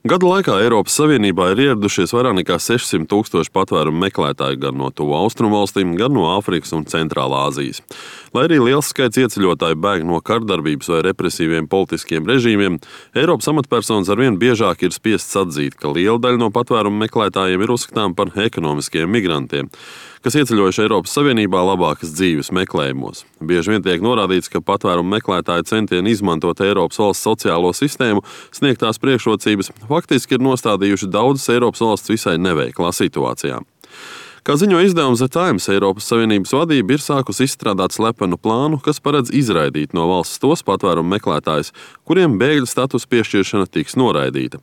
Gadu laikā Eiropas Savienībā ir ieradušies vairāk nekā 600 000 patvērumu meklētāju gan no tuvu austrumu valstīm, gan no Āfrikas un Centrālā Āzijas. Lai arī liels skaits ieceļotāju bēg no kardarbības vai represīviem politiskiem režīmiem, Eiropas amatpersonas arvien biežāk ir spiestas atzīt, ka liela daļa no patvērumu meklētājiem ir uzskatām par ekonomiskiem migrantiem, kas ieceļojuši Eiropas Savienībā labākas dzīves meklējumos. Bieži vien tiek norādīts, ka patvērumu meklētāju centieni izmantot Eiropas valsts sociālo sistēmu sniegtās priekšrocības faktiski ir nostādījuši daudzas Eiropas valsts visai neveiklā situācijā. Kā ziņo izdevums The Times, Eiropas Savienības vadība ir sākusi izstrādāt slepenu plānu, kas paredz izraidīt no valsts tos patvērumu meklētājus, kuriem bēgļu status piešķiršana tiks noraidīta.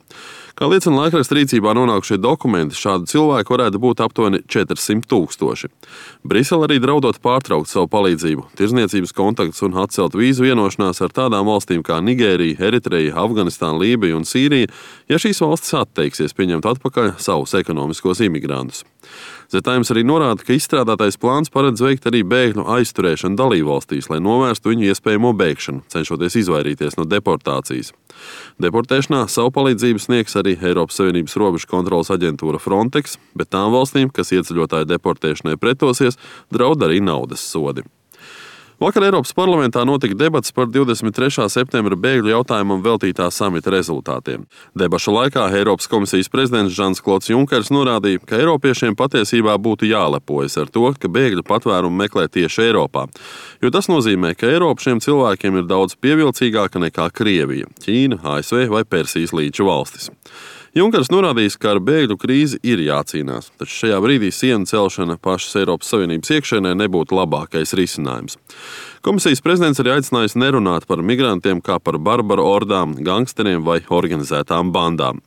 Kā liecina laikraksta rīcībā nonākušie dokumenti, šādu cilvēku varētu būt aptuveni 400 000. Brisele arī draudot pārtraukt savu palīdzību, tirzniecības kontaktus un atcelt vīzu vienošanās ar tādām valstīm kā Nigērija, Eritreja, Afganistāna, Lībija un Sīrija, ja šīs valstis atteiksies pieņemt atpakaļ savus ekonomiskos imigrantus. The Times arī norāda, ka izstrādātais plāns paredz veikt arī bēgļu aizturēšanu dalībvalstīs, lai novērstu viņu iespējamo bēgšanu, cenšoties izvairīties no deportācijas. Deportēšanā savu palīdzību sniegs arī Eiropas Savienības robežu kontroles aģentūra Frontex, bet tām valstīm, kas ieceļotāju deportēšanai pretosies, draud arī naudas sodi. Vakar Eiropas parlamentā notika debats par 23. septembra bēgļu jautājumam veltītā samita rezultātiem. Debašu laikā Eiropas komisijas prezidents Žans-Klods Junkers norādīja, ka eiropiešiem patiesībā būtu jālepojas ar to, ka bēgļu patvērumu meklē tieši Eiropā, jo tas nozīmē, ka Eiropa šiem cilvēkiem ir daudz pievilcīgāka nekā Krievija, Ķīna, ASV vai Persijas līča valstis. Junkers norādījis, ka ar bēgļu krīzi ir jācīnās, taču šajā brīdī sienu celšana pašas Eiropas Savienības iekšēnē nebūtu labākais risinājums. Komisijas prezidents arī aicinājis nerunāt par migrantiem kā par barbaru ordām, gangsteriem vai organizētām bandām.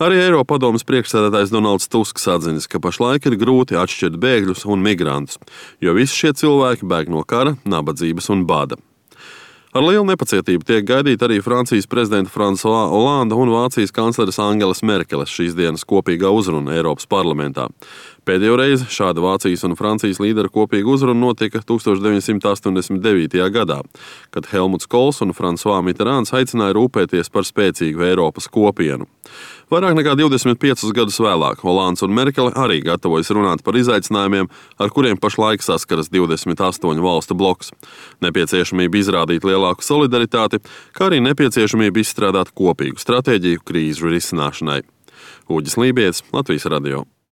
Arī Eiropadomes priekšsēdētājs Donalds Tusks atzinis, ka pašlaik ir grūti atšķirt bēgļus un migrantus, jo visi šie cilvēki bēg no kara, nabadzības un bada. Ar lielu nepacietību tiek gaidīta arī Francijas prezidenta François Hollande un Vācijas kancleres Angelas Merkeles šīs dienas kopīgā uzruna Eiropas parlamentā. Pēdējo reizi šāda Vācijas un Francijas līdera kopīga uzruna notika 1989. gadā, kad Helmuts Kohls un François Mitterrands aicināja rūpēties par spēcīgu Eiropas kopienu. Vairāk nekā 25 gadus vēlāk Hollands un Merkele arī gatavojas runāt par izaicinājumiem, ar kuriem pašlaik saskaras 28 valstu bloks. Nepieciešamība izrādīt lielāku solidaritāti, kā arī nepieciešamība izstrādāt kopīgu stratēģiju krīžu risināšanai. Uģis Lībijams, Latvijas radio.